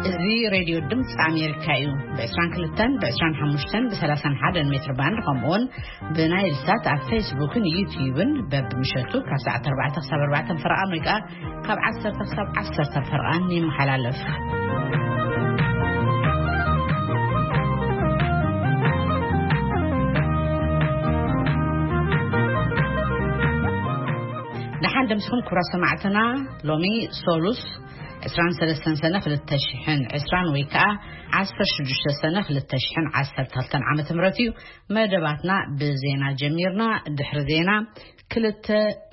እዚ ሬድዮ ድምፂ ኣሜሪካ እዩ። ብ22፣ ብ25፣ ብ31 ሜትር ባንድ፣ ከምኡውን ብናይል ሳት ኣብ ፌስቡክን ዩትዩብን በብምሸቱ ካብ ሰዓት 4 ክሳብ 4 ፈረቓን ወይ ከዓ ካብ 10 ክሳብ 10 ፈረቓን ይመሓላለፍ። ደሓን ደምስኹም ክቡራት ሰማዕትና። ሎሚ ሶሉስ 23 ሰነ 2020 ወይ ከዓ 16 ሰነ 2012 ዓመተ ምህረት እዩ። መደባትና ብዜና ጀሚርና። ድሕሪ ዜና ክልተ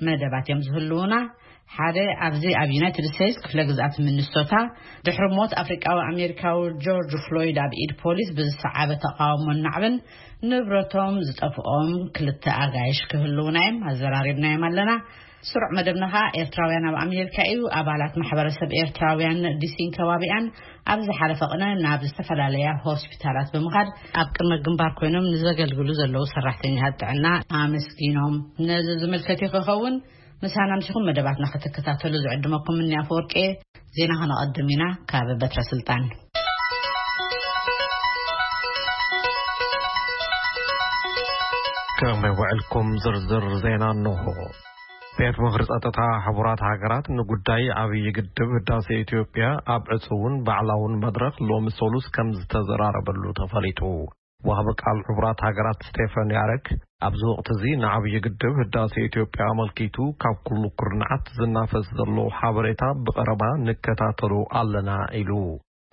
መደባት እዮም ዝህልውና። ሓደ ኣብዚ ኣብ ዩናይትድ ስቴትስ ክፍለ ግዝኣት ሚኒሶታ ድሕሪ ሞት ኣፍሪቃዊ ኣሜሪካዊ ጆርጅ ፍሎይድ ኣብ ኢድ ፖሊስ ብዝሰዓበ ተቃውሞን ናዕብን ንብረቶም ዝጠፍኦም ክልተ ኣጋይሽ ክህልውና እዮም። ኣዘራሪብናዮም ኣለና። ስሩዕ መደብና ኸኣ ኤርትራውያን ኣብ ኣሜሪካ እዩ። ኣባላት ማሕበረሰብ ኤርትራውያን ዲሲን ከባቢኣን ኣብ ዝሓለፈ ቅነ ናብ ዝተፈላለያ ሆስፒታላት ብምኻድ ኣብ ቅድመ ግንባር ኮይኖም ንዘገልግሉ ዘለዉ ሰራሕተኛታት ጥዕና ኣመስጊኖም። ነዚ ዝምልከት እዩ ክኸውን። ምሳና ምሲኹም መደባትና ክትከታተሉ ዝዕድመኩም እኒ ኣፈወርቂ። ዜና ከነቐድም ኢና ካብ በትረ ስልጣን። ከመይ ውዕልኩም? ዝርዝር ዜና እንሆ። ቤት ምኽሪ ጸጥታ ሕቡራት ሃገራት ንጉዳይ ዓብዪ ግድብ ህዳሴ ኢትዮጵያ ኣብ ዕጹውን ባዕላውን መድረኽ ሎሚ ሰሉስ ከም ዝተዘራረበሉ ተፈሊጡ። ወሃቢ ቃል ሕቡራት ሃገራት ስቴፈን ያረክ ኣብዚ ወቕቲ እዚ ንዓብዪ ግድብ ህዳሴ ኢትዮጵያ ኣመልኪቱ ካብ ኩሉ ኩርናዓት ዝናፈስ ዘሎ ሓበሬታ ብቐረባ ንከታተሎ ኣለና ኢሉ።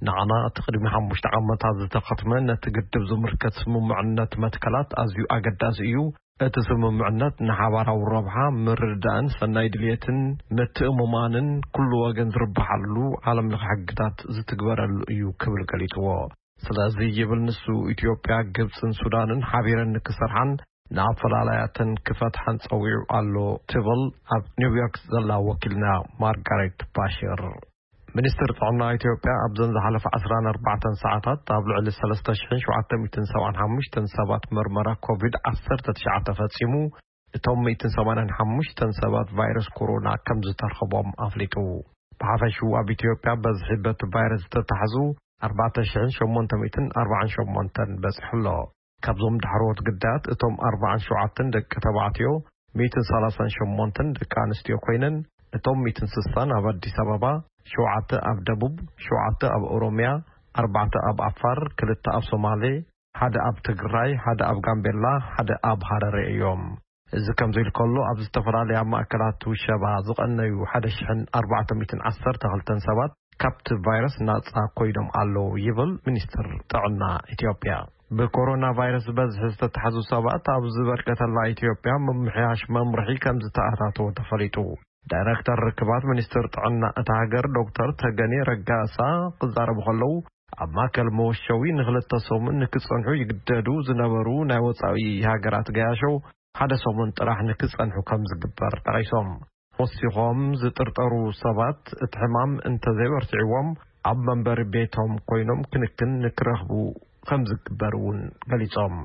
ንዓና እቲ ቅድሚ ሓሙሽተ ዓመታት ዝተኸትመ ነቲ ግድብ ዝምልከት ስምምዕነት መትከላት ኣዝዩ ኣገዳሲ እዩ። እቲ ስምምዕነት ንሓባራዊ ረብሓ፣ ምርድዳእን ሰናይ ድልየትን ምትእምማንን ኩሉ ወገን ዝርብሓሉ ዓለም ለኸ ሕግታት ዝትግበረሉ እዩ ክብል ገሊጽዎ። ስለዚ ይብል ንሱ፣ ኢትዮጵያ፣ ግብጽን ሱዳንን ሓቢረን ንክሰርሓን ንኣፈላላያተን ክፈትሓን ጸዊዑ ኣሎ ትብል ኣብ ኒውዮርክ ዘላ ወኪልና ማርጋሬት ባሽር። ሚኒስትር ጥዕና ኢትዮጵያ ኣብዘን ዝሓለፈ 14 ሰዓታት ኣብ ልዕሊ 3,775 ሰባት መርመራ ኮቪድ-19 ፈጺሙ፣ እቶም 185 ሰባት ቫይረስ ኮሮና ከም ዝተርኸቦም ኣፍሊጡ። ብሓፈሽኡ ኣብ ኢትዮጵያ በዝሒ በቲ ቫይረስ ዝተታሕዙ 4,848 በጺሑ ኣሎ። ካብዞም ዳሕረዎት ግዳያት እቶም 47 ደቂ ተባዕትዮ፣ 138 ደቂ ኣንስትዮ ኮይነን፣ እቶም 160 ኣብ ኣዲስ ኣበባ፣ ሸውዓተ ኣብ ደቡብ፣ ሸውዓተ ኣብ ኦሮሚያ፣ ኣርባዕተ ኣብ ዓፋር፣ ክልተ ኣብ ሶማሌ፣ ሓደ ኣብ ትግራይ፣ ሓደ ኣብ ጋምቤላ፣ ሓደ ኣብ ሃረሬ እዮም። እዚ ከምዚ ኢሉ ከሎ፣ ኣብ ዝተፈላለያ ማእከላት ውሸባ ዝቐነዩ 1,412 ሰባት ካብቲ ቫይረስ ናጻ ኮይኖም ኣለዉ ይብል ሚኒስትር ጥዕና ኢትዮጵያ። ብኮሮና ቫይረስ በዝሒ ዝተታሕዙ ሰባት ኣብ ዝበርከተላ ኢትዮጵያ ምምሕያሽ መምርሒ ከም ዝተኣታተወ ተፈሊጡ። ዳይሬክተር ርክባት ሚኒስትር ጥዕና እታ ሃገር ዶክተር ተገኔ ረጋሳ ክዛረቡ ከለዉ፣ ኣብ ማእከል መወሸዊ ንክልተ ሰሙን ንክጸንሑ ይግደዱ ዝነበሩ ናይ ወጻኢ ሃገራት ገያሾ ሓደ ሰሙን ጥራሕ ንክጸንሑ ከም ዝግበር ጠቒሶም። ወሲኾም፣ ዝጥርጠሩ ሰባት እቲ ሕማም እንተዘይበርቲዕዎም ኣብ መንበሪ ቤቶም ኮይኖም ክንክን ንክረኽቡ ከም ዝግበር እውን ገሊጾም።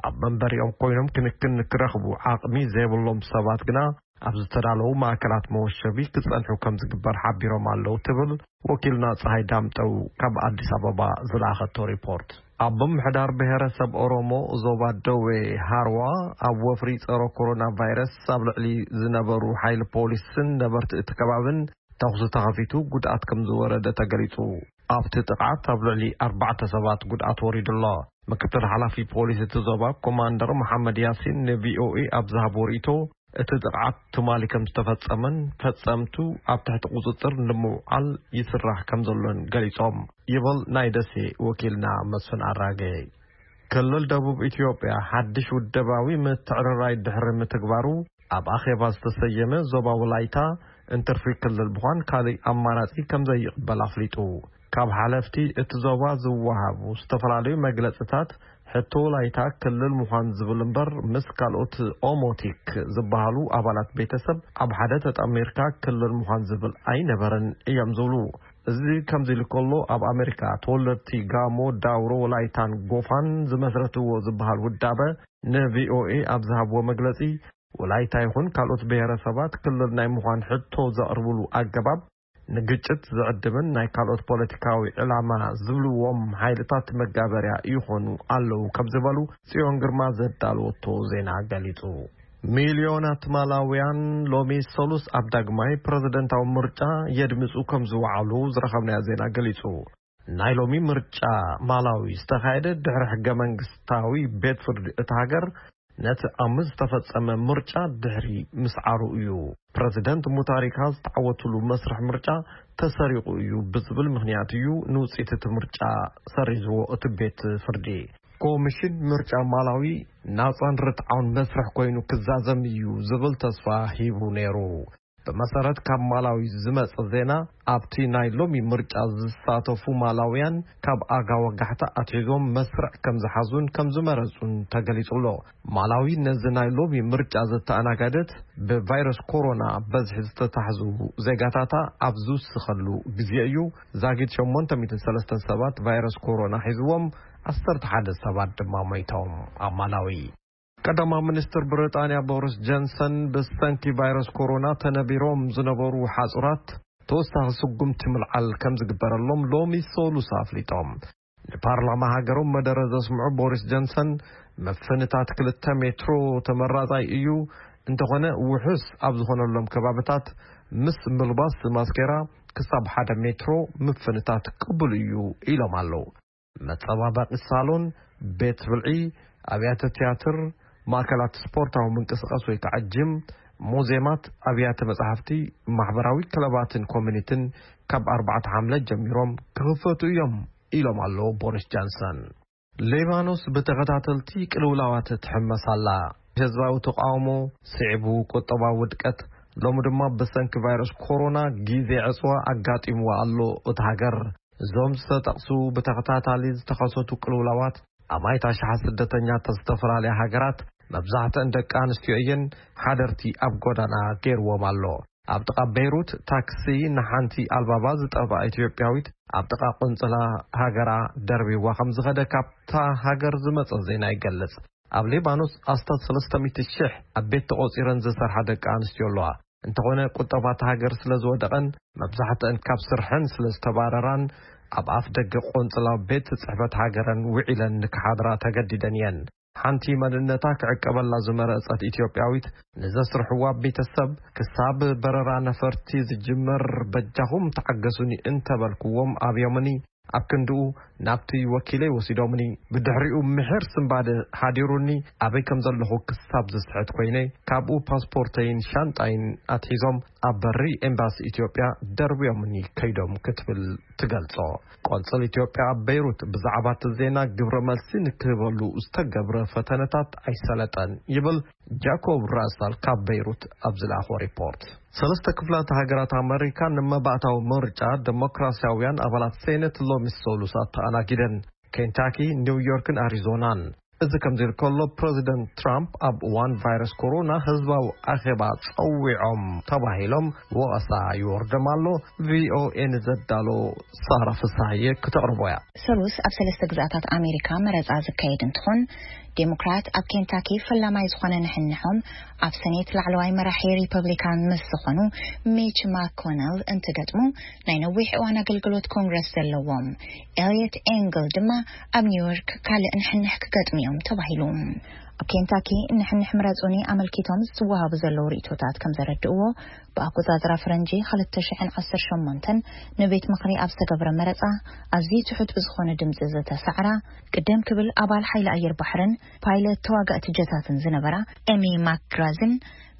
ኣብ መንበሪኦም ኮይኖም ክንክን ንክረኽቡ ዓቕሚ ዘይብሎም ሰባት ግና ኣብ ዝተዳለዉ ማእከላት መወሸቢ ክጸንሑ ከም ዝግበር ሓቢሮም ኣለዉ ትብል ወኪልና ጸሃይ ዳምጠው ካብ ኣዲስ ኣበባ ዝለኣኸቶ ሪፖርት። ኣብ ምምሕዳር ብሔረሰብ ኦሮሞ ዞባ ደዌ ሃርዋ ኣብ ወፍሪ ጸረ ኮሮና ቫይረስ ኣብ ልዕሊ ዝነበሩ ሓይሊ ፖሊስን ነበርቲ እቲ ከባብን ተኹሲ ተኸፊቱ ጉድኣት ከም ዝወረደ ተገሊጹ። ኣብቲ ጥቕዓት ኣብ ልዕሊ ኣርባዕተ ሰባት ጉድኣት ወሪዱ ኣሎ። ምክትል ሓላፊ ፖሊስ እቲ ዞባ ኮማንደር መሓመድ ያሲን ንቪኦኤ ኣብ ዝሃቦ ርእይቶ፣ እቲ ጥቕዓት ትማሊ ከም ዝተፈጸመን ፈጸምቱ ኣብ ትሕቲ ቁጽጽር ንምውዓል ይስራሕ ከም ዘሎን ገሊጾም ይብል ናይ ደሴ ወኪልና መስፍን ኣራጌ። ክልል ደቡብ ኢትዮጵያ ሓድሽ ውደባዊ ምትዕርራይ ድሕሪ ምትግባሩ፣ ኣብ ኣኼባ ዝተሰየመ ዞባ ወላይታ እንትርፊ ክልል ምዃን ካልእ ኣማራጺ ከም ዘይቕበል ኣፍሊጡ። ካብ ሓለፍቲ እቲ ዞባ ዝወሃቡ ዝተፈላለዩ መግለጽታት፣ ሕቶ ወላይታ ክልል ምዃን ዝብል እምበር፣ ምስ ካልኦት ኦሞቲክ ዝበሃሉ ኣባላት ቤተሰብ ኣብ ሓደ ተጠሚርካ ክልል ምዃን ዝብል ኣይነበረን እዮም ዝብሉ። እዚ ከምዚ ኢሉ ከሎ፣ ኣብ ኣሜሪካ ተወለድቲ ጋሞ፣ ዳውሮ፣ ወላይታን ጎፋን ዝመስረትዎ ዝበሃል ውዳበ ንቪኦኤ ኣብ ዝሃብዎ መግለጺ፣ ወላይታ ይኹን ካልኦት ብሄረሰባት ክልል ናይ ምዃን ሕቶ ዘቕርብሉ ኣገባብ ንግጭት ዝዕድምን ናይ ካልኦት ፖለቲካዊ ዕላማ ዝብልዎም ሓይልታት መጋበርያ ይኾኑ ኣለዉ ከም ዝበሉ ጽዮን ግርማ ዘዳለወቶ ዜና ገሊጹ። ሚልዮናት ማላውያን ሎሚ ሰሉስ ኣብ ዳግማይ ፕረዚደንታዊ ምርጫ የድምጹ ከም ዝወዓሉ ዝረኸብናዮ ዜና ገሊጹ። ናይ ሎሚ ምርጫ ማላዊ ዝተኻየደ ድሕሪ ሕገ መንግስታዊ ቤት ፍርዲ እቲ ሃገር ነቲ ኣብ ዝተፈጸመ ምርጫ ድሕሪ ምስዓሩ እዩ። ፕረዚደንት ሙታሪካ ዝተዓወትሉ መስርሕ ምርጫ ተሰሪቑ እዩ ብዝብል ምኽንያት እዩ ንውጽኢት እቲ ምርጫ ሰሪዝዎ እቲ ቤት ፍርዲ። ኮሚሽን ምርጫ ማላዊ ናጻን ርትዓውን መስርሕ ኮይኑ ክዛዘም እዩ ዝብል ተስፋ ሂቡ ነይሩ። ብመሰረት ካብ ማላዊ ዝመጸ ዜና፣ ኣብቲ ናይ ሎሚ ምርጫ ዝሳተፉ ማላውያን ካብ ኣጋ ወጋሕታ ኣትሒዞም መስርዕ ከም ዝሓዙን ከም ዝመረጹን ተገሊጹ ኣሎ። ማላዊ ነዚ ናይ ሎሚ ምርጫ ዘተኣናጋደት ብቫይረስ ኮሮና በዝሒ ዝተታሕዙ ዜጋታታ ኣብ ዝውስኸሉ ግዜ እዩ። ዛጊት ሸሞንተ ሚእትን ሰለስተን ሰባት ቫይረስ ኮሮና ሒዝዎም፣ ዓሰርተ ሓደ ሰባት ድማ ሞይቶም። ኣብ ማላዊ ቀዳማዊ ሚኒስትር ብሪጣንያ ቦሪስ ጆንሰን ብሰንኪ ቫይረስ ኮሮና ተነቢሮም ዝነበሩ ሓጹራት ተወሳኺ ስጉምቲ ምልዓል ከም ዝግበረሎም ሎሚ ሰሉስ ኣፍሊጦም። ንፓርላማ ሃገሮም መደረ ዘስምዑ ቦሪስ ጆንሰን፣ ምፍንታት ክልተ ሜትሮ ተመራጻይ እዩ፣ እንተኾነ ውሑስ ኣብ ዝኾነሎም ከባብታት ምስ ምልባስ ማስኬራ ክሳብ ሓደ ሜትሮ ምፍንታት ቅቡል እዩ ኢሎም ኣለዉ። መጸባበቒ ሳሎን፣ ቤት ብልዒ፣ ኣብያተ ትያትር፣ ማእከላት ስፖርታዊ ምንቅስቓስ ወይ ከዓ ጅም፣ ሙዜማት፣ ኣብያተ መጻሕፍቲ፣ ማሕበራዊ ክለባትን ኮሚኒትን ካብ ኣርባዕተ ሓምለ ጀሚሮም ክኽፈቱ እዮም ኢሎም ኣለዉ ቦሪስ ጃንሰን። ሌባኖስ ብተኸታተልቲ ቅልውላዋት ትሕመስ ኣላ። ህዝባዊ ተቃውሞ ስዒቡ ቁጠባዊ ውድቀት፣ ሎሚ ድማ ብሰንኪ ቫይረስ ኮሮና ግዜ ዕጽዋ ኣጋጢምዋ ኣሎ። እቲ ሃገር እዞም ዝተጠቕሱ ብተኸታታሊ ዝተኸሰቱ ቅልውላዋት ኣብ ኣይታ ሸሓ ስደተኛታት ዝተፈላለያ ሃገራት መብዛሕትአን ደቂ ኣንስትዮ እየን ሓደርቲ ኣብ ጎዳና ገይርዎም ኣሎ። ኣብ ጥቓ ቤይሩት ታክሲ ንሓንቲ ኣልባባ ዝጠፍኣ ኢትዮጵያዊት ኣብ ጥቓ ቆንጽላ ሃገራ ደርቢዋ ከም ዝኸደ ካብታ ሃገር ዝመጸ ዜና ይገልጽ። ኣብ ሊባኖስ ኣስታት ሰለስተ ሚእቲ ሽሕ ኣብ ቤት ተቖጺረን ዝሰርሓ ደቂ ኣንስትዮ ኣለዋ። እንተኾነ ቁጠባ እታ ሃገር ስለ ዝወደቐን መብዛሕትአን ካብ ስርሐን ስለ ዝተባረራን ኣብ ኣፍ ደገ ቆንጽላ ቤት ጽሕፈት ሃገረን ውዒለን ንክሓድራ ተገዲደን እየን። ሓንቲ መንነታ ክዕቀበላ ዝመረጸት ኢትዮጵያዊት ንዘስርሕዋ ቤተሰብ ክሳብ በረራ ነፈርቲ ዝጅመር በጃኹም ተዓገሱኒ እንተበልክዎም ኣብዮምኒ ኣብ ክንድኡ ናብቲ ወኪለይ ወሲዶምኒ። ብድሕሪኡ ምሒር ስንባደ ሓዲሩኒ ኣበይ ከም ዘለኹ ክሳብ ዝስሕት ኮይነ ካብኡ ፓስፖርተይን ሻንጣይን ኣትሒዞም ኣብ በሪ ኤምባሲ ኢትዮጵያ ደርብዮምኒ ከይዶም ክትብል ትገልጾ። ቆንጽል ኢትዮጵያ ኣብ ቤይሩት ብዛዕባ እቲ ዜና ግብረ መልሲ ንክህበሉ ዝተገብረ ፈተነታት ኣይሰለጠን ይብል ጃኮብ ራሳል ካብ ቤይሩት ኣብ ዝለኣኾ ሪፖርት። ሰለስተ ክፍላት ሃገራት ኣመሪካ ንመባእታዊ ምርጫ ደሞክራሲያውያን ኣባላት ሴኔት ሎሚ ሰሉስ ኣተኣናጊደን። ኬንታኪ፣ ኒውዮርክን ኣሪዞናን። እዚ ከምዚ ኢሉ ከሎ ፕረዚደንት ትራምፕ ኣብ እዋን ቫይረስ ኮሮና ህዝባዊ ኣኼባ ጸዊዖም ተባሂሎም ወቐሳ ይወርዶም ኣሎ። ቪኦኤ ንዘዳሎ ሳራ ፍሳሃየ ክተቕርቦ እያ። ሰሉስ ኣብ ሰለስተ ግዝኣታት ኣሜሪካ መረጻ ዝካየድ እንትኾን ዴሞክራት ኣብ ኬንታኪ ፈላማይ ዝኾነ ንሕንሖም ኣብ ሰኔት ላዕለዋይ መራሒ ሪፐብሊካን ምስ ዝኾኑ ሚች ማኮነል እንትገጥሙ ናይ ነዊሕ እዋን ኣገልግሎት ኮንግረስ ዘለዎም ኤልየት ኤንግል ድማ ኣብ ኒውዮርክ ካልእ ንሕንሕ ክገጥሙ እዮም ተባሂሉ። ኣብ ኬንታኪ ንሕንሕ ምረጹኒ ኣመልኪቶም ዝወሃቡ ዘለዉ ርእይቶታት ከም ዘረድእዎ ብኣቆጻጽራ ፈረንጂ ክልተ ሽሕን ዓሰርተ ሸሞንተን ንቤት ምኽሪ ኣብ ዝተገብረ መረጻ ኣዝዩ ትሑት ብዝኾነ ድምጺ ዝተሳዕራ ቅደም ክብል ኣባል ሓይሊ ኣየር ባሕርን ፓይለት ተዋጋእቲ ጀታትን ዝነበራ ኤሚ ማክግራዝን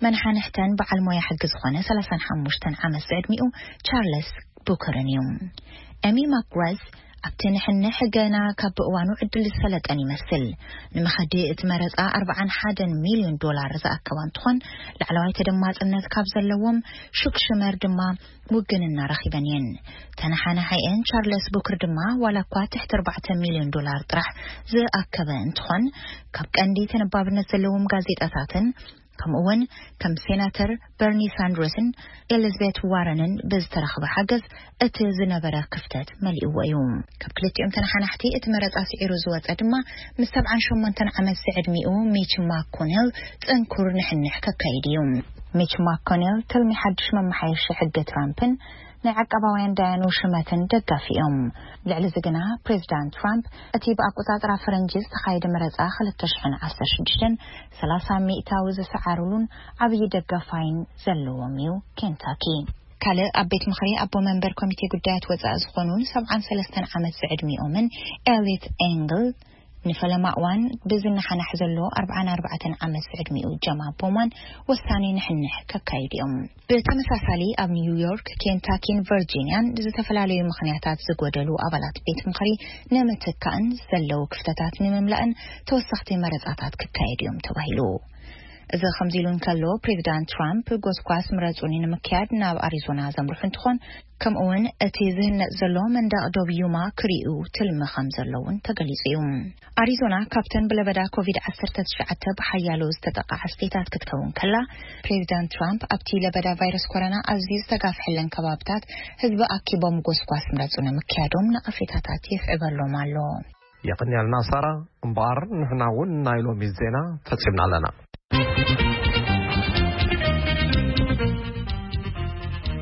መናሓንሕተን በዓል ሞያ ሕጊ ዝኾነ ሰላሳን ሓሙሽተን ዓመት ዝዕድሚኡ ቻርለስ ቡከርን እዩ። ኤሚ ማክግራዝ ኣብቲ ንሕንሕ ገና ካብ እዋኑ ዕድል ዝሰለጠን ይመስል። ንመኸዲ እቲ መረጻ ኣርባዓን ሓደን ሚልዮን ዶላር ዝኣከባ እንትኾን ላዕለዋይ ተደማጽነት ካብ ዘለዎም ሹክ ሽመር ድማ ውግንና ረኺበን እየን። ተነሓናሓይአን ቻርለስ ቡክር ድማ ዋላ እኳ ትሕቲ ኣርባዕተ ሚልዮን ዶላር ጥራሕ ዝኣከበ እንትኾን ካብ ቀንዲ ተነባብነት ዘለዎም ጋዜጣታትን ከምኡ እውን ከም ሴናተር በርኒ ሳንድረስን ኤሊዝቤት ዋረንን ብዝተረኽበ ሓገዝ እቲ ዝነበረ ክፍተት መሊእዎ እዩ። ካብ ክልቲኦም ተነሓናሕቲ እቲ መረጻ ስዒሩ ዝወጸ ድማ ምስ ሰብዓን ሸሞንተን ዓመት ዝዕድሚኡ ሚች ማኮኔል ጽንኩር ንሕንሕ ከካይድ እዩ። ሚች ማኮኔል ትልሚ ሓድሽ መመሓየሺ ሕጊ ትራምፕን ናይ ዓቃባውያን ዳያኑ ሽመትን ደጋፊ እዮም። ልዕሊ እዚ ግና ፕሬዚዳንት ትራምፕ እቲ ብኣቆጻጽራ ፈረንጂ ዝተኻየደ መረጻ ክልተ ሽሕን ዓሰርተ ሽዱሽተን ሰላሳ ሚእታዊ ዝሰዓሩሉን ዓብዪ ደጋፋይን ዘለዎም እዩ። ኬንታኪ ካልእ ኣብ ቤት ምኽሪ ኣቦ መንበር ኮሚቴ ጉዳያት ወጻኢ ዝኾኑን ሰብዓን ሰለስተን ዓመት ዝዕድሚኦምን ኤሊት ኤንግል ንፈለማ እዋን ብዝነሓናሕ ዘሎ ኣርብዓን ኣርባዕተን ዓመት ዝዕድሚኡ ጀማ ቦማን ወሳኒ ንሕንሕ ከካይድ እዮም። ብተመሳሳሊ ኣብ ኒውዮርክ፣ ኬንታኪን ቨርጂኒያን ዝተፈላለዩ ምኽንያታት ዝጎደሉ ኣባላት ቤት ምኽሪ ንምትካእን ዘለዉ ክፍተታት ንምምላእን ተወሰኽቲ መረጻታት ክካየዱ እዮም ተባሂሉ። እዚ ከምዚ ኢሉ እንከሎ፣ ፕሬዚዳንት ትራምፕ ጎስጓስ ምረጹኒ ንምክያድ ናብ ኣሪዞና ዘምርሑ እንትኾን፣ ከምኡ እውን እቲ ዝህነጽ ዘሎ መንደቕ ዶብ ዩማ ክርእዩ ትልሚ ከም ዘሎ እውን ተገሊጹ እዩ። ኣሪዞና ካብተን ብለበዳ ኮቪድ ዓሰርተ ትሽዓተ ብሓያሎ ዝተጠቕዓ ስቴታት ክትከውን ከላ፣ ፕሬዚዳንት ትራምፕ ኣብቲ ለበዳ ቫይረስ ኮሮና ኣዝዩ ዝተጋፍሐለን ከባብታት ህዝቢ ኣኪቦም ጎስጓስ ምረጹ ንምክያዶም ነቐፌታታት የስዕበሎም ኣሎ። የቐንየልና ሳራ። እምበኣር ንሕና እውን ናይ ሎሚ ዜና ፈጺምና ኣለና።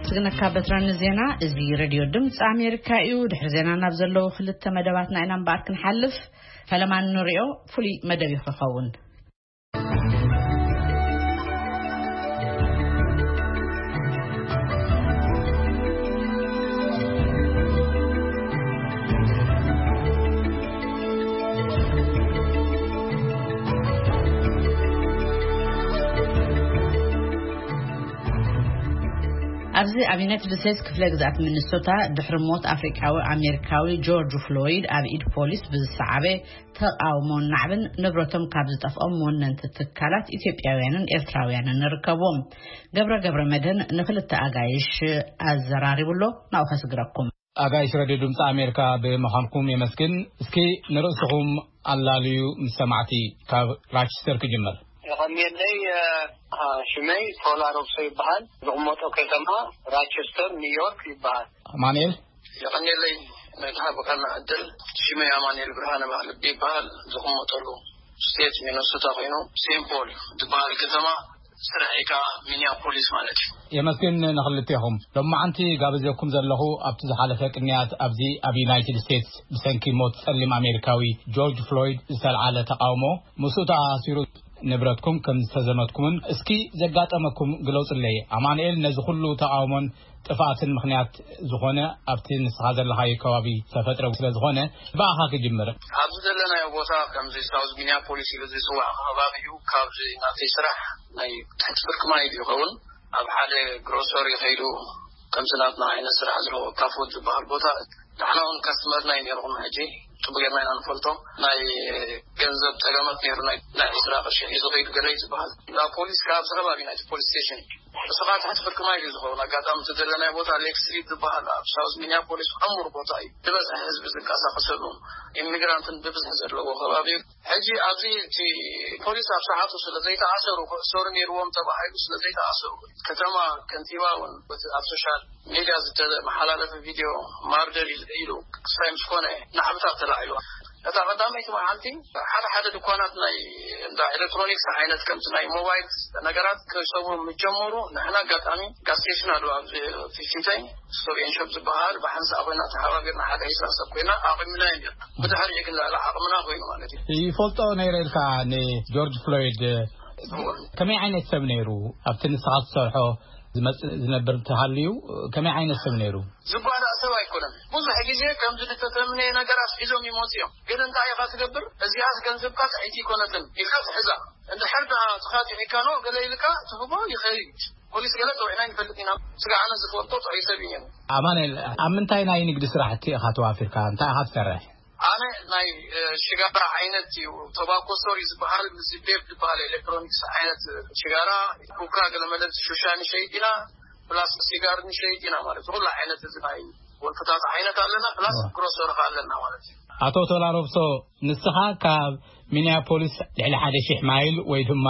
ስግነካ በትራን ዜና። እዚ ሬድዮ ድምፂ ኣሜሪካ እዩ። ድሕሪ ዜና ናብ ዘለዉ ክልተ መደባትና ኢና እምበኣር ክንሓልፍ። ፈለማ ንሪኦ ፍሉይ መደብ እዩ ክኸውን። ኣብዚ ኣብ ዩናይትድ ስቴትስ ክፍለ ግዝኣት ሚኒሶታ ድሕሪ ሞት ኣፍሪቃዊ ኣሜሪካዊ ጆርጅ ፍሎይድ ኣብ ኢድ ፖሊስ ብዝሰዓበ ተቃውሞን ናዕብን ንብረቶም ካብ ዝጠፍኦም ወነንቲ ትካላት ኢትዮጵያውያንን ኤርትራውያንን ንርከብዎም። ገብረ ገብረ መድህን ንክልተ ኣጋይሽ ኣዘራሪቡ ኣሎ። ናብኡ ከስግረኩም። ኣጋይሽ ረድዮ ድምፂ ኣሜሪካ ብምዃንኩም የመስግን። እስኪ ንርእስኹም ኣላልዩ ምስ ሰማዕቲ ካብ ራቸስተር ክጅምር። የቐንየለይ። እ፣ ሽመይ ቶላ ሮብሶ ይበሃል። ዝቕመጦ ከተማ ራቸስተር ኒውዮርክ ይበሃል። ኣማኑኤል። የቐንየለይ ነቲ ሃብካና ዕድል። ሽመይ ኣማኑኤል ብርሃነ ማልብ ይበሃል። ዝቕመጠሉ ስቴት ሚነሶታ ኮይኑ፣ ሴንት ፖል ዝበሃል ከተማ፣ ስራሐይ ከዓ ሚኒያፖሊስ ማለት እዩ። የመስግን ንኽልቴኹም። ሎማዓንቲ ጋብዘኩም ዘለኹ ኣብቲ ዝሓለፈ ቅንያት ኣብዚ ኣብ ዩናይትድ ስቴትስ ብሰንኪ ሞት ጸሊም ኣሜሪካዊ ጆርጅ ፍሎይድ ዝተልዓለ ተቃውሞ፣ ምስኡ ተኣሳሲሩ ንብረትኩም ከም ዝተዘመትኩምን እስኪ ዘጋጠመኩም ግለጹለይ። ኣማኑኤል፣ ነዚ ኩሉ ተቃውሞን ጥፍኣትን ምኽንያት ዝኾነ ኣብቲ ንስኻ ዘለኻዮ ከባቢ ዝተፈጥረ ስለ ዝኾነ ብኣኻ ክጅምር። ኣብዚ ዘለናዮ ቦታ ከምዚ ሳውዝ ሚኒያፖሊስ ኢሉ ዝፅዋዕ ከባቢ እዩ። ካብዚ ናተይ ስራሕ ናይ ትሕቲ ፍርቂ ማይ እዩ ይኸውን። ኣብ ሓደ ግሮሰሪ ከይዱ ከምዚ ናትና ዓይነት ስራሕ ዘለዎ ካፉድ ዝበሃል ቦታ ንሕና እውን ካስተመርና እዩ ነይርኩም። ሕጂ ፅቡቅ ጌርና ኢና ንፈልጦ። ናይ ገንዘብ ፀገማት ነይሩ። ናይ ናይ ዕስራ ቅርሺ ሒዙ ከይዱ ገለ እዩ ዝበሃል። ናብ ፖሊስ ካብ ኣብዚ ከባቢ ናይቲ ፖሊስ ስቴሽን እዩ። እሱ ከዓ ትሕቲ ፍርቂ ማይ እዩ ዝኸውን። ኣጋጣሚ እቲ ዘለናዮ ቦታ ሌክ ስትሪት ዝበሃል ኣብ ሳውዝ ሚኒያፖሊስ ዕሙር ቦታ እዩ። ዝበዝሐ ህዝቢ ዝንቀሳቀሰሉ፣ ኢሚግራንትን ብብዝሒ ዘለዎ ከባቢ እዩ። ሕጂ ኣብዚ እቲ ፖሊስ ኣብ ሰዓቱ ስለ ዘይተኣሰሩ፣ ክእሰሩ ነይርዎም ተባሂሉ ስለ ዘይተኣሰሩ፣ ከተማ ከንቲባ እውን በቲ ኣብ ሶሻል ሚድያ ዝተመሓላለፈ ቪድዮ ማርደር ኢሉ ክሳይ ምስ ኮነ ናዕብታት ተላዒሉ። እታ ቀዳመይቲ መዓልቲ ሓደ ሓደ ድኳናት ናይ እንዳ ኤሌክትሮኒክስ ዓይነት ከምቲ ናይ ሞባይል ነገራት ክሰብሩ ምስ ጀመሩ፣ ንሕና ኣጋጣሚ ጋዝ ስቴሽን ኣሎ ኣብዚ ፊፍቲን ስቶር ኤንድ ሾፕ ዝበሃል፣ ብሓንሳእ ኮይና ተሓባቢርና ሓደ ዒስራ ሰብ ኮይና ኣቑምና እዩ ነርና። ብድሕሪኡ ግን ልዕሊ ዓቕምና ኮይኑ ማለት እዩ። ይፈልጦ ነይረ ኢልካ ንጆርጅ ፍሎይድ እወ። ከመይ ዓይነት ሰብ ነይሩ? ኣብቲ ንስኻ ትሰርሖ ዝመጽእ ዝነብር እንተሃልዩ ከመይ ዓይነት ሰብ ነይሩ? ዝጓዳእ ሰብ ኣይኮነን። ብዙሕ ግዜ ከምዚ ዝተተምነየ ነገራት ሒዞም ይመፁ እዮም። ግን እንታይ ኢኻ ትገብር? እዚኣስ ገንዘብካ ጥዕይቲ ኣይኮነትን ኢልካ ትሕዛ። እንድሕር ደኣ ተኻቲዒካ ኖ ገለ ኢልካ ትህቦ ይኸይድ። ፖሊስ ገለ ፀዊዕና ይንፈልጥ ኢና። ስጋዕ ኣነ ዝፈልጦ ጥዑይ ሰብ እዩ ነይሩ። ኣማኑኤል፣ ኣብ ምንታይ ናይ ንግዲ ስራሕቲ ኢኻ ተዋፊርካ? እንታይ ኢኻ ትሰርሕ? ኣነ ናይ፣ እ፣ ሽጋራ ዓይነት እዩ፣ ቶባኮ ስቶር እዩ ዝበሃል፣ ምስ ቬፕ ዝበሃል ኤሌክትሮኒክስ ዓይነት ሽጋራ፣ ኩካ፣ ገለመለ ሹሻ ንሸይጥ ኢና፣ ፕላስ ሲጋር ንሸይጥ ኢና ማለት እዩ። ኩሉ ዓይነት እዚ ናይ ወልፍታት ዓይነት ኣለና፣ ፕላስ ዋ። ግሮሰሪ ከ ኣለና ማለት እዩ። ኣቶ ቶላ ሮብሶ፣ ንስኻ ካብ ሚኒያፖሊስ ልዕሊ ሓደ ሺሕ ማይል ወይ ድማ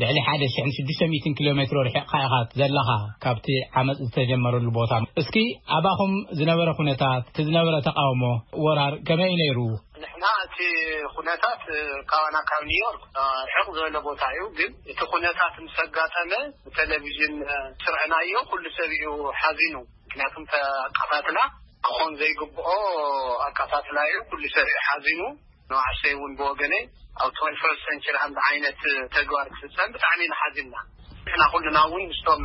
ልዕሊ ሓደ ሽሕን ሽዱሽተ ሚእትን ኪሎ ሜትሮ ርሒቕካ ኢኻ ዘለኻ ካብቲ ዓመጽ ዝተጀመረሉ ቦታ። እስኪ ኣባኹም ዝነበረ ኩነታት፣ እቲ ዝነበረ ተቃውሞ፣ ወራር ከመይ እዩ ነይሩ? ንሕና እቲ ኩነታት፣ እ፣ ካባና ካብ ኒውዮርክ፣ እ፣ ርሕቕ ዝበለ ቦታ እዩ። ግን እቲ ኩነታት ምስ ኣጋጠመ ብቴሌቪዥን፣ እ፣ ስርዕናዮ፣ ኩሉ ሰብ እዩ ሓዚኑ። ምክንያቱም ኣቃታትላ ክኾን ዘይግብኦ ኣቃታትላ እዩ። ኩሉ ሰብ እዩ ሓዚኑ። ንባዕሰይ እውን ብወገነይ ኣብ ትወንቲ ፈርስት ሰንቸሪ ከምዚ ዓይነት ተግባር ክፍጸም ብጣዕሚ ኢና ሓዚንና። ንሕና ኩልና እውን ምስቶም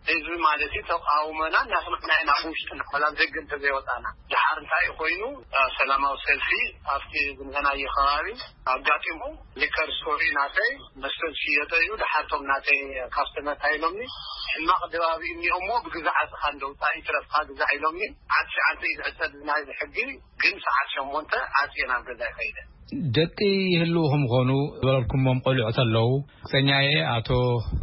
ህዝቢ ማለት እዩ ተቃውሞና እናስማዕና ኢና፣ ውሽጥና ዋላ ኣብ ደገ እንተዘይወፃና። ድሓር እንታይ ኮይኑ ሰላማዊ ሰልፊ ኣብቲ ዝንበናዮ ከባቢ ኣጋጢሙ፣ ሊከር ስቶሪ ናተይ መስተ ዝሽየጠ እዩ። ድሓርቶም ናተይ ካስተመር እንታይ ኢሎምኒ፣ ሕማቕ ድባብ እዩ እኒኦሞ ብግዛዕ ኣፅኻ እንደውፃ ይትረፍካ ግዛዕ ኢሎምኒ። ዓት ሸዓተ እዩ ዝዕፀድ ናይዚ ሕጊ፣ ግን ሰዓት ሸሞንተ ዓፅየ ናብ ገዛ ይኸይደ። ደቂ ይህልዉ ከም ዝኾኑ ዝበለልኩሞም ቆልዑ ተለዉ፣ ክሰኛየ ኣቶ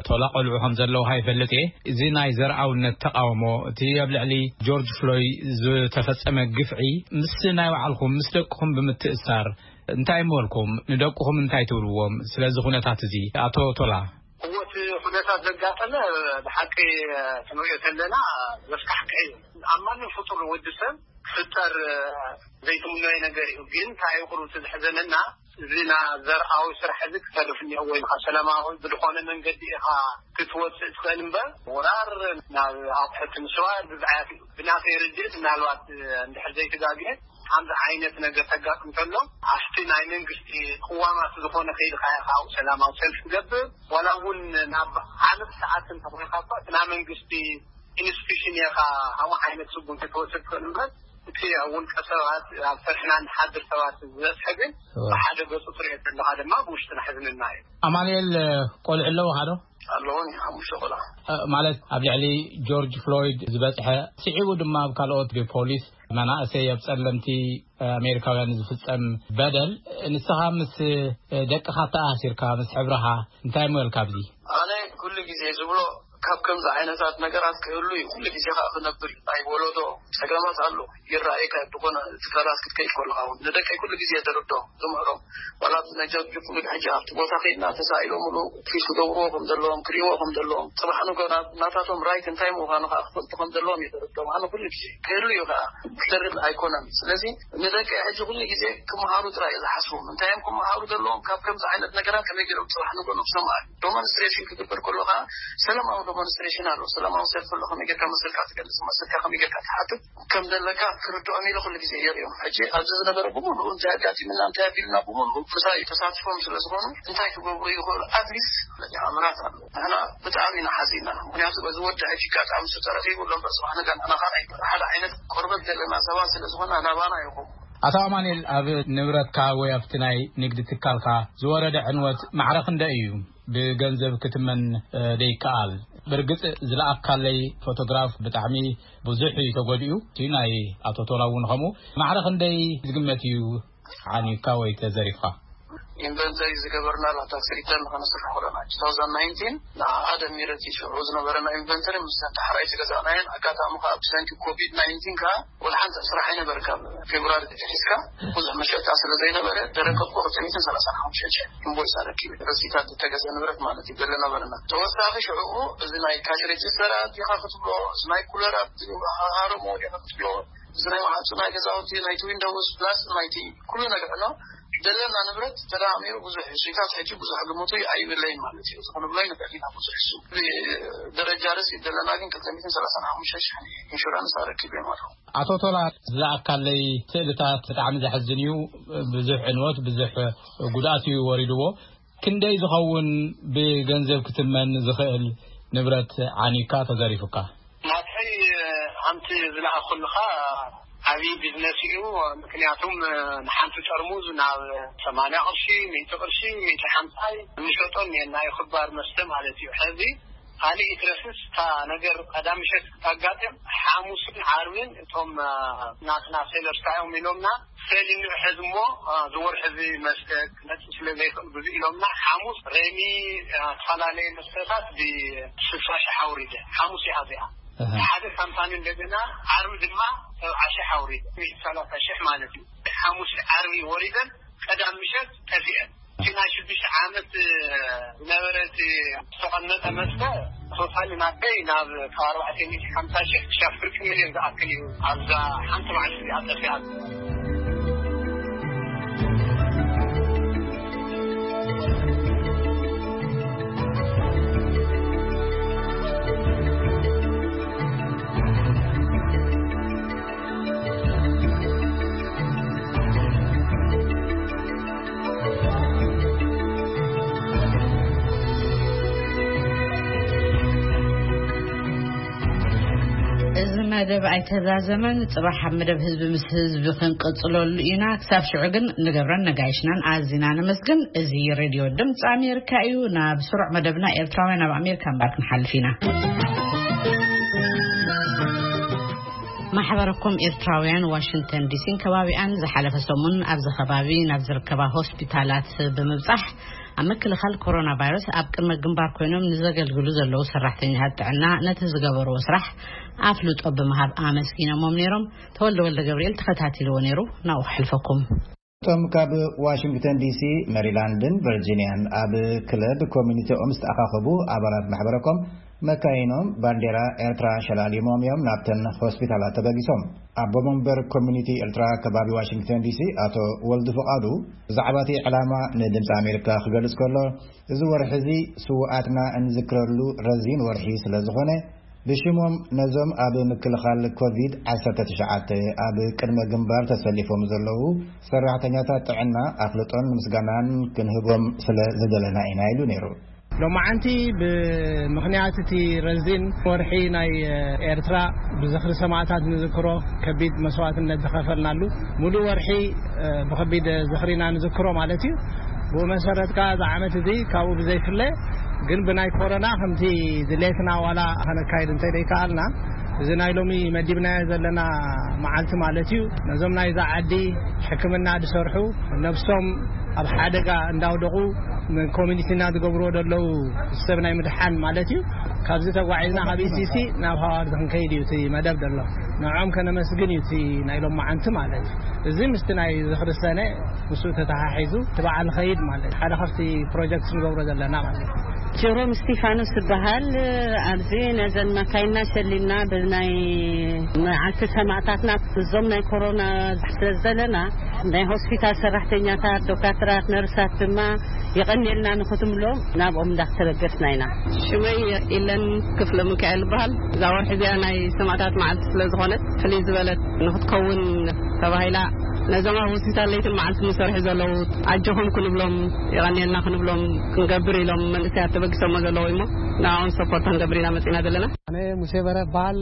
ቶላ ቆልዑ ከም ዘለዉ ሃይፈልጥ እየ። እዚ ናይ ዘርኣውነት ተቃውሞ፣ እቲ ኣብ ልዕሊ ጆርጅ ፍሎይ ዝተፈጸመ ግፍዒ ምስ ናይ ባዕልኩም፣ ምስ ደቅኹም ብምትእሳር እንታይ ምበልኩም? ንደቅኹም እንታይ ትብልዎም? ስለዚ ኩነታት እዚ ኣቶ ቶላ። እዎ፣ እቲ ኩነታት ዘጋጠመ ብሓቂ ክንሪኦ ከለና ዘስካሕክሕ እዩ። ኣብ ማንም ፍጡር ወዲ ሰብ ክፍጠር ዘይትምነዮ ነገር እዩ። ግን እንታይ እዩ ቁሩብ እቲ ዘሕዘነና፣ እዚ ና ዘርኣዊ ስራሕ እዚ ክተርፍ እኒኦ ወይ ከዓ ሰላማዊ ብዝኾነ መንገዲ ኢኻ ክትወፅእ ትኽእል እምበር፣ ወራር ናብ ኣቑሑት ምስዋር ብዝዓያት እዩ። ብናተይ ርድእት ምናልባት እንድሕር ዘይተጋግየ፣ ከምዚ ዓይነት ነገር ተጋጥም ከሎ፣ ኣብቲ ናይ መንግስቲ ቅዋማት ዝኾነ ከይድካ ኢኻ ኣብኡ ሰላማዊ ሰልፊ ትገብር፣ ዋላ እውን ናብ ዓመት ሰዓት እንተኾይካ እኳ፣ እቲ ናይ መንግስቲ ኢንስቲቱሽን ኢኻ፣ ከምኡ ዓይነት ስጉምቲ ትወስድ ትኽእል እምበር፣ እቲ ኣብ ውልቀ ሰባት፣ ኣብ ስርሕና ንሓድር ሰባት ዝበፅሐ ግን፣ እወ። ብሓደ ገፁ ትሪኦ ዘለኻ ድማ ብውሽጥና ሕዝንና እዩ። ኣማኑኤል፣ ቆልዑ ኣለውኻ ዶ? ኣለዉኒ፣ ሓሙሽተ ቆልዓ። እ፣ ማለት ኣብ ልዕሊ ጆርጅ ፍሎይድ ዝበፅሐ፣ ስዒቡ ድማ ኣብ ካልኦት ብፖሊስ መናእሰይ ኣብ ጸለምቲ ኣሜሪካውያን ዝፍጸም በደል፣ ንስኻ ምስ ደቅኻ ተኣሲርካ፣ ምስ ሕብርኻ እንታይ እሞ ኢልካ ኣብዚ? ኣነ ኩሉ ግዜ ዝብሎ፣ ካብ ከምዚ ዓይነታት ነገራት ክህሉ እዩ፣ ኩሉ ግዜ ከኣ ክነብር እዩ። ናይ ወለዶ ጸገማት ኣሎ፣ ይረኣየካ እዩ። ብኾነ እቲ ፈላስ ክትከይድ ከለኻ እውን ንደቀይ ኩሉ ግዜ የተረድኦም፣ ዝምህሮም። ዋላ እቲ ናይ ጃርጆ ፍሉድ ሕጂ ኣብቲ ቦታ ከይድና ተሳኢሎምሉ ትሪት ክገብርዎ ከም ዘለዎም፣ ክሪእዎ ከም ዘለዎም፣ ጽባሕ ንጎ ናብ ናታቶም ራይት እንታይ ምዃኑ ከኣ ክፈልጡ ከም ዘለዎም እዩ ተረድኦም። ኣነ ኩሉ ግዜ ክህሉ እዩ ከኣ ክተርፍ ኣይኮነን። ስለዚ ንደቀይ ሕጂ ኩሉ ግዜ ክመሃሩ ጥራይ እዩ ዝሓስቦም። እንታይ እዮም ክመሃሩ ዘለዎም? ካብ ከምዚ ዓይነት ነገራት ከመይ ገይሮም ጽባሕ ንጎ ነብሶም አ-፣ ዶሞንስትሬሽን ክግበር ከሎ ከኣ ሰላማዊ ዶሞንስትሬሽን ኣሎ። ሰላማዊ ሰልፊ ኣሎ። ከመይ ጌርካ መሰልካ ትገልጽ፣ መሰልካ ከመይ ጌርካ ትሓትት ከም ዘለካ ክርድኦም ኢለ ኩሉ ግዜ የርእዮም። ሕጂ ኣብዚ ዝነበረ ብምሉኡ እንታይ ኣጋጢምና፣ እንታይ ኣቢሉና ብምሉኡ ምሳይ ተሳትፎም ስለ ዝኾኑ እንታይ ክገብሩ ይኽእሉ? ኣትሊስት ኣምራት ኣሎ። ንሕና ብጣዕሚ ኢና ሓዚና። ምኽንያቱ በዚ ወዲ ሕጂ ኣጋጣሚ እሱ ተረኺቡ ኣሎ እምበር፣ ጽባሕ ነገ ንሕና ኸኣ ናይ ሓደ ዓይነት ቆርበት ዘለና ሰባት ስለ ዝኾና ናባና ይኹም። ኣቶ ኣማኑኤል፣ ኣብ ንብረትካ ወይ ኣብቲ ናይ ንግዲ ትካልካ ዝወረደ ዕንወት ማዕረ ክንደይ እዩ? ብገንዘብ ክትመን፣ እ፣ ደይከኣል። ብርግጽ ዝለኣካለይ ፎቶግራፍ ብጣዕሚ ብዙሕ እዩ ተጎዲኡ። እቲ ናይ ኣቶ ቶላ እውን ከምኡ። ማዕረ ክንደይ ዝግመት እዩ ዓንዩካ ወይ ተዘሪፍካ? ኢንቨንተሪ ዝገበርናላ ታክሲ ሪተርን ከነስርሕ ከለና፣ ቱ ታውዘንድ ናይንቲን ንዓኣ ደሚረ፣ እቲ ሽዑ ዝነበረና ኢንቨንተሪ ምስ ዳሕራይ ዝገዛእናየን፣ ኣጋጣሚ ከኣ ብሰንኪ ኮቪድ ናይንቲን ከኣ ወላ ሓንቲ ስራሕ ኣይነበርካን። ፌብሩዋሪ ተተሒዝካ ብዙሕ መሸጣ ስለ ዘይነበረ፣ ደረከብኩ ክልተ ሚእትን ሰላሳን ሓሙሽተን ሽሕ ኢንቮይስ ኣረኪበ። ረሲታት ዝተገዘ ንብረት ማለት እዩ፣ ገለ ነበረና። ተወሳኺ ሽዑኡ እዚ ናይ ካሽ ሬጅስተራት ኢኻ ክትብሎ፣ እዚ ናይ ኩለራት ሃረሞ ኢኻ ክትብሎ፣ እዚ ናይ ማዕጾ ናይ ገዛውቲ፣ ናይቲ ዊንዶውስ ፕላስ ናይቲ ኩሉ ነገር ኣሎ። ዘለና ንብረት ተደማሚሩ ብዙሕ እዩ። ሽታት ሕጂ ብዙሕ ግምቱ ኣይብለይን ማለት እዩ። ዝኾነ ብሎ ይንብዕል ኢና ብዙሕ እሱ። ደረጃ ርስ ዘለና ግን ክልተ ሚእትን ሰላሳን ሓሙሽተ ሽሕ ኢንሹራንስ ኣረኪብ እዮም ኣለዉ። ኣቶ ቶላ፣ ዝለኣካለይ ስእልታት ብጣዕሚ ዘሕዝን እዩ። ብዙሕ ዕንወት፣ ብዙሕ ጉድኣት እዩ ወሪድዎ። ክንደይ ዝኸውን ብገንዘብ ክትመን ዝኽእል ንብረት ዓኒካ ተዘሪፉካ? ናተይ ሓንቲ ዝለኣኹልኻ ዓብዪ ቢዝነስ እዩ። ምክንያቱም ንሓንቲ ጠርሙዝ ናብ ሰማንያ ቅርሺ፣ ሚእቲ ቅርሺ፣ ሚእቲ ሓምሳይ ንሸጦ እኒአና እዩ፣ ክባር መስተ ማለት እዩ። ሕዚ ካልእ ይትረፍስ እታ ነገር ቀዳም ምሸት ክታጋጥም፣ ሓሙስን ዓርብን እቶም ናትና ሴለርስ እንታይ እዮም ኢሎምና፣ ሰሊኑ ሕዚ እሞ፣ እ፣ ዝወርሒ እዚ መስተ ክመጽእ ስለ ዘይኽእል ብዙ ኢሎምና፣ ሓሙስ ሬሚ፣ እ፣ ዝተፈላለየ መስተታት ብስልሳ ሽሕ ኣውሪደ። ሓሙስ እያ እዚኣ። ኣሃ። ሓደ ካምፓኒ እንደገና ዓርቢ ድማ ሰብዓ ሽሕ ኣውሪደ። ሚእቲ ሰላሳ ሽሕ ማለት እዩ። ሓሙስ ዓርቢ ወሪደን ቀዳም ምሸት ጠፊአን። እቲ ናይ ሽዱሽተ ዓመት ዝነበረ እቲ ዝተቐመጠ መስተ ቶታሊ ናተይ ናብ ካብ ኣርባዕተ ሚእቲ ሓምሳ ሽሕ ክሻብ ፍርቂ ሚልዮን ዝኣክል እዩ ኣብዛ ሓንቲ መዓልቲ እዚኣ ጠፊኣ። መደብ ኣይተዛዘመን። ጽባሕ ኣብ መደብ ህዝቢ ምስ ህዝቢ ክንቅጽለሉ ኢና። ክሳብ ሽዑ ግን ንገብረን ነጋይሽናን ኣዚና ነመስግን። እዚ ሬድዮ ድምፂ ኣሜሪካ እዩ። ናብ ስሩዕ መደብና ኤርትራውያን ኣብ ኣሜሪካ እምበር ክንሓልፍ ኢና። ማሕበረኮም ኤርትራውያን ዋሽንግተን ዲሲን ከባቢኣን ዝሓለፈ ሰሙን ኣብዚ ከባቢ ናብ ዝርከባ ሆስፒታላት ብምብጻሕ ኣብ ምክልኻል ኮሮና ቫይረስ ኣብ ቅድመ ግንባር ኮይኖም ንዘገልግሉ ዘለዉ ሰራሕተኛታት ጥዕና ነቲ ዝገበርዎ ስራሕ ኣፍልጦ ብምሃብ ኣመስጊኖሞም ነይሮም። ተወልደ ወልደ ገብርኤል ተኸታቲልዎ ነይሩ። ናብኡ ክሕልፈኩም። እቶም ካብ ዋሽንግተን ዲሲ፣ ሜሪላንድን ቨርጂኒያን ኣብ ክለብ ኮሚኒቲኦም ዝተኣኻኸቡ ኣባላት ማሕበረኮም መካይኖም ባንዴራ ኤርትራ ሸላሊሞም እዮም ናብተን ሆስፒታላት ተበጊሶም። ኣቦ መንበር ኮሚኒቲ ኤርትራ ከባቢ ዋሽንግተን ዲሲ ኣቶ ወልዱ ፍቓዱ ብዛዕባ እቲ ዕላማ ንድምፂ ኣሜሪካ ክገልጽ ከሎ፣ እዚ ወርሒ እዚ ስውኣትና እንዝክረሉ ረዚን ወርሒ ስለ ዝኾነ፣ ብሽሞም ነዞም ኣብ ምክልኻል ኮቪድ ዓሰርተ ትሽዓተ ኣብ ቅድመ ግንባር ተሰሊፎም ዘለዉ ሰራሕተኛታት ጥዕና ኣፍልጦን ምስጋናን ክንህቦም ስለ ዝደለና ኢና ኢሉ ነይሩ። ሎማዓንቲ ብምኽንያት እቲ ረዚን ወርሒ ናይ ኤርትራ ብዝኽሪ ሰማእታት ንዝክሮ ከቢድ መስዋዕትነት ዝኸፈልናሉ ሙሉእ ወርሒ ብኸቢድ ዝኽሪና ንዝክሮ ማለት እዩ። ብኡ መሰረት ከኣ እዚ ዓመት እዚ ካብኡ ብዘይፍለ ግን ብናይ ኮሮና ከምቲ ድሌትና ዋላ ከነካይድ እንተደይከኣልና፣ እዚ ናይ ሎሚ መዲብናዮ ዘለና መዓልቲ ማለት እዩ፣ ነዞም ናይዛ ዓዲ ሕክምና ዝሰርሑ፣ ነብሶም ኣብ ሓደጋ እንዳውደቑ ንኮሚኒቲና ዝገብርዎ ዘለዉ ሰብ ናይ ምድሓን ማለት እዩ። ካብዚ ተጓዒዝና ካብ ኢሲሲ ናብ ሃዋርድ ክንከይድ እዩ እቲ መደብ ዘሎ። ንዕኦም ከነመስግን እዩ እቲ ናይ ሎማዓንቲ ማለት እዩ። እዚ ምስቲ ናይ ዝኽሪ ሰነ ምስኡ ተተሓሒዙ እቲ በዓል ኸይድ ማለት ሓደ ካብቲ ፕሮጀክት ንገብሮ ዘለና ማለት እዩ። ጀሮም እስቲፋኖስ ዝበሃል። ኣብዚ ነዘን መካይና ሸሊልና ብናይ መዓልቲ ሰማእታትና እዞም ናይ ኮሮና ስለ ዘለና ናይ ሆስፒታል ሰራሕተኛታት፣ ዶካትራት፣ ነርሳት ድማ የቐንየልና ንክትብሎም ናብኦም እንዳተበገስና ኢና። ሽመይ ኢለን ክፍለ ሚካኤል ይበሃል። እዛ ወርሒ እዚኣ ናይ ሰማእታት መዓልቲ ስለ ዝኾነት ፍልይ ዝበለት ንክትከውን ተባሂላ ነዞም ኣብ ሆስፒታል ለይትን መዓልትን ዝሰርሑ ዘለዉ ኣጆኹም ክንብሎም፣ የቐንየልና ክንብሎም ክንገብር ኢሎም መንእሰያት ተበጊሶሞ ዘለዉ እሞ ንዕኦም ሰፖርት ክንገብር ኢና መጺና ዘለና። ኣነ ሙሴ በረ እበሃል።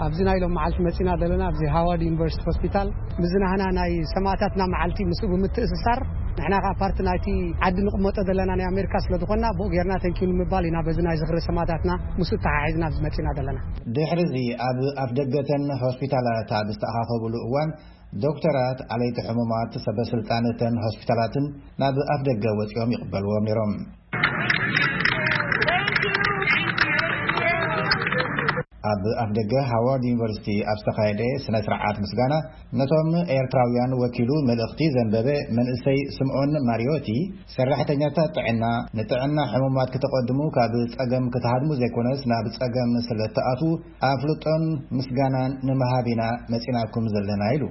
ኣብዚ ናይ ሎም መዓልቲ መጺና ዘለና ኣብዚ ሃዋርድ ዩኒቨርሲቲ ሆስፒታል ምዝናህና ናይ ሰማእታትና መዓልቲ ምስኡ ብምትእስሳር ንሕና ከኣ ፓርቲ ናይቲ ዓዲ ንቕመጦ ዘለና ናይ ኣሜሪካ ስለ ዝኾንና ብኡ ጌርና ተንኪዩ ንምባል ኢና በዚ ናይ ዝኽሪ ሰማእታትና ምስኡ ተሓሒዝና ኣብዚ መጺና ዘለና። ድሕሪ እዚ ኣብ ኣፍ ደገተን ሆስፒታላት ኣብ ዝተኣኻኸብሉ እዋን ዶክተራት፣ ኣለይቲ ሕሙማት፣ ሰበ ስልጣን እተን ሆስፒታላትን ናብ ኣፍ ደገ ወጺኦም ይቕበልዎም ነይሮም። ኣብ ኣፍ ደገ ሃዋርድ ዩኒቨርሲቲ ኣብ ዝተኻየደ ስነ ስርዓት ምስጋና ነቶም ኤርትራውያን ወኪሉ መልእኽቲ ዘንበበ መንእሰይ ስምዖን ማሪዮቲ፣ ሰራሕተኛታት ጥዕና ንጥዕና ሕሙማት ክተቐድሙ ካብ ጸገም ክትሃድሙ ዘይኮነስ ናብ ጸገም ስለ እትኣትዉ ኣፍልጦን ምስጋናን ንምሃብ ኢና መጺናኩም ዘለና ኢሉ።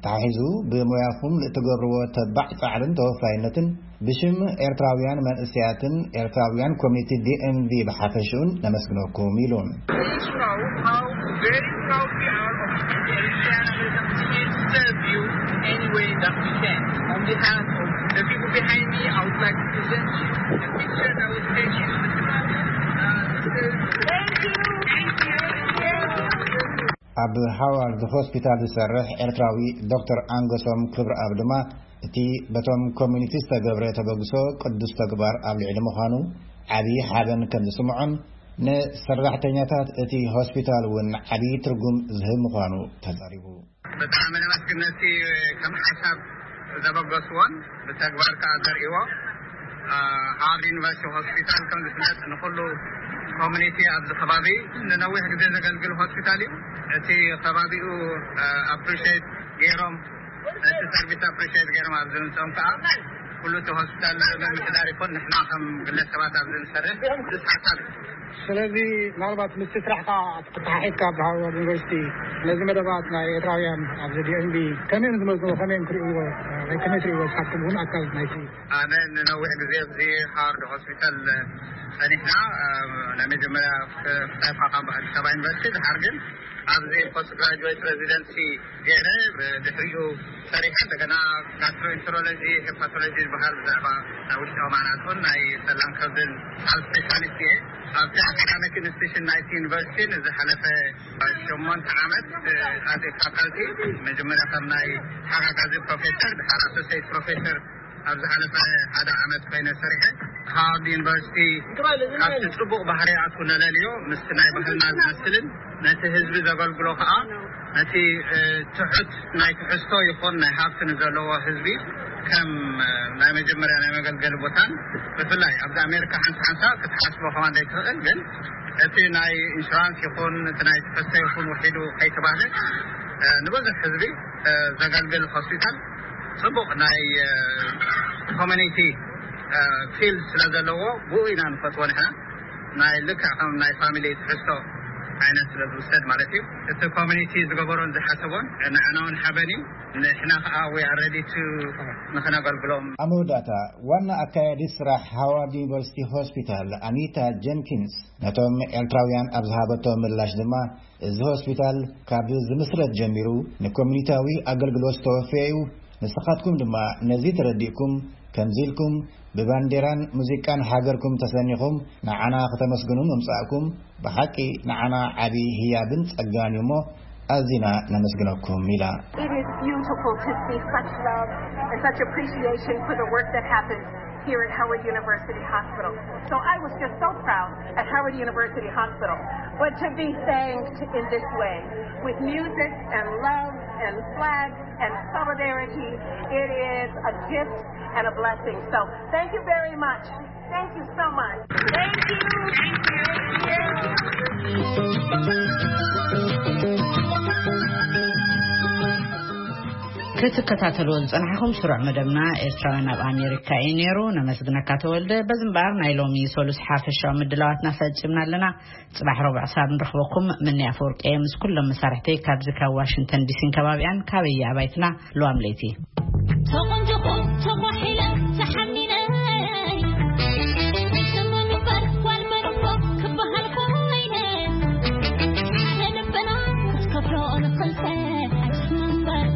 ተሓሒዙ ብሞያኹም ንእትገብርዎ ተባዕ ጻዕርን ተወፋይነትን ብሽም ኤርትራውያን መንእሰያትን ኤርትራውያን ኮሚኒቲ ዲኤምቪ ብሓፈሽኡን ነመስግነኩም ኢሉ። Show how very proud we are of you and we are going to continue to serve you any way that we can. On behalf of the people behind me, I would like to present you a picture that was taken. Uh, this is Thank you. Thank you. ኣብ ሃዋርድ ሆስፒታል ዝሰርሕ ኤርትራዊ ዶክተር ኣንገሶም ክብረኣብ ድማ እቲ በቶም ኮሚኒቲ ዝተገብረ ተበግሶ ቅዱስ ተግባር ኣብ ልዕሊ ምዃኑ ዓብዪ ሓበን ከም ዝስምዖን ንሰራሕተኛታት እቲ ሆስፒታል እውን ዓብዪ ትርጉም ዝህብ ምዃኑ ተዛሪቡ። ብጣዕሚ ነመስግን ነቲ ከም ሓሳብ ዘበገስዎን ብተግባር ከኣ ዘርእዎ። ሃዋርድ ዩኒቨርሲቲ ሆስፒታል ከም ዝፍለጥ ንኹሉ ኮሚኒቲ ኣብዚ ከባቢ ንነዊሕ ግዜ ዘገልግል ሆስፒታል እዩ። እቲ ከባቢኡ ኣፕሪሼት ገይሮም፣ ነቲ ሰርቪስ ኣፕሪሼት ገይሮም ኣብዚ ምምፅኦም ከዓ ኩሉ እቲ ሆስፒታል ምምሕዳር ይኹን ንሕና ከም ግለሰባት ኣብዚ ንሰርሕ ሓሳብ እዩ። ስለዚ ምናልባት ምስቲ ስራሕካ ተተሓሒዝካ ኣብ ሃዋርድ ዩኒቨርሲቲ ነዚ መደባት ናይ ኤርትራውያን ኣብዚ ዲኤምቪ ከመይ እዮም ዝመዝንዎ፣ ከመይ እዮም ክርእይዎ፣ ወይ ከመይ ትርእይዎ ንስኻትኩም እውን ኣካል ናይቲ? ኣነ ንነዊሕ ግዜ ኣብዚ ሃዋርድ ሆስፒታል ጸኒሕና፣ ናይ መጀመርያ ፍታይካ ካብ ኣዲስ ኣበባ ዩኒቨርሲቲ ድሓር ግን ኣብዚ ፖስት ግራጁዌት ሬዚደንሲ ገይረ፣ ብድሕሪኡ ሰሪሐ፣ እንደገና ጋስትሮኢንተሮሎጂ፣ ሄፓቶሎጂ ዝበሃል ብዛዕባ ናይ ውሽጣዊ ማራቶን፣ ናይ ሰላም ከብድን ኣብ ስፔሻሊስት እየ። ኣብቲ ኣካዳሚክ ኢንስቲትዩሽን ናይቲ ዩኒቨርሲቲ ንዝሓለፈ ሸሞንተ ዓመት፣ እ፣ ኣዜ ፋካልቲ፣ መጀመርያ ከም ናይ ተሓጋጋዚ ፕሮፌሰር፣ ድሓር ኣሶሲየት ፕሮፌሰር ኣብ ዝሓለፈ ሓደ ዓመት ኮይነ ሰሪሐ። ሃዋርድ ዩኒቨርሲቲ ካብቲ ጽቡቕ ባህርያቱ ነለልዮ፣ ምስቲ ናይ ባህልና ዝመስልን ነቲ ህዝቢ ዘገልግሎ ከኣ፣ ነቲ፣ እ፣ ትሑት ናይ ትሕዝቶ ይኹን ናይ ሃብቲ ንዘለዎ ህዝቢ ከም፣ እ፣ ናይ መጀመርያ ናይ መገልገሊ ቦታን፣ ብፍላይ ኣብዚ ኣሜሪካ ሓንሳ ሓንሳ ክትሓስቦ ከማን ዘይትኽእል፣ ግን እቲ ናይ ኢንሹራንስ ይኹን እቲ ናይ ትሕዝቶ ይኹን ውሒዱ ከይተባህለ፣ እ፣ ንብዙሕ ህዝቢ፣ እ፣ ዘገልግል ሆስፒታል፣ ጽቡቕ ናይ፣ እ፣ ኮሚኒቲ፣ እ፣ ፊልድ ስለ ዘለዎ፣ ብኡ ኢና ንፈትዎ ንሕና። ናይ ልክዕ ከም ናይ ፋሚሊ ትሕዝቶ ዓይነት ስለ ዝውሰድ ማለት እዩ። እቲ ኮሚኒቲ ዝገበሮን ዝሓሰቦን ንዓና እውን ሓበን እዩ። ንሕና ከዓ we are ready to ንኽነገልግሎም። ኣብ መወዳእታ፣ ዋና ኣካያዲ ስራሕ ሃዋርድ ዩኒቨርሲቲ ሆስፒታል ኣኒታ ጀንኪንስ ነቶም ኤርትራውያን ኣብ ዝሃበቶ ምላሽ ድማ፣ እዚ ሆስፒታል ካብ ዝምስረት ጀሚሩ ንኮሚኒታዊ ኣገልግሎት ዝተወፈየ እዩ። ንስኻትኩም ድማ ነዚ ተረዲእኩም፣ ከምዚ ኢልኩም ብባንዴራን ሙዚቃን ሃገርኩም ተሰኒኹም ንዓና ከተመስግኑ ምምጻእኩም ብሓቂ ንዓና ዓቢ ህያብን ጸጋን እዩ እሞ ኣዚና ነመስግነኩም ኢላ። It is beautiful to see such love and such appreciation for the work that happens here at Howard University Hospital. So I was just so proud at Howard University Hospital. But to be thanked in this way, with music and love and flags and solidarity, it is a gift and a blessing. So thank you very much. Thank you so much. Thank you. Thank you. ክትከታተልዎ ዝጸናሕኹም ስሩዕ መደብና ኤርትራውያን ኣብ ኣሜሪካ እዩ ነይሩ። ነመስግነካ ተወልደ። በዚ እምበኣር ናይ ሎሚ ሶሉስ ሓፈሻዊ ምድላዋትና ፈጺምና ኣለና። ጽባሕ ረቡዕ ክሳብ ንረኽበኩም፣ ምንያ ኣፈወርቂ እየ ምስ ኩሎም መሳርሕተይ ካብዚ ካብ ዋሽንግተን ዲሲን ከባቢኣን ካበየ ኣባይትና ለዋም ለይቲ። ተቖንጆኹ ተኳሒለ ተሓኒነ፣ ኣይሰማን እምበር ጓል መን እኮ ክበሃል ኮይነ፣ ሓደ ልብና ክትከፍሎ ንኽልተ፣ ኣይሰማን እምበር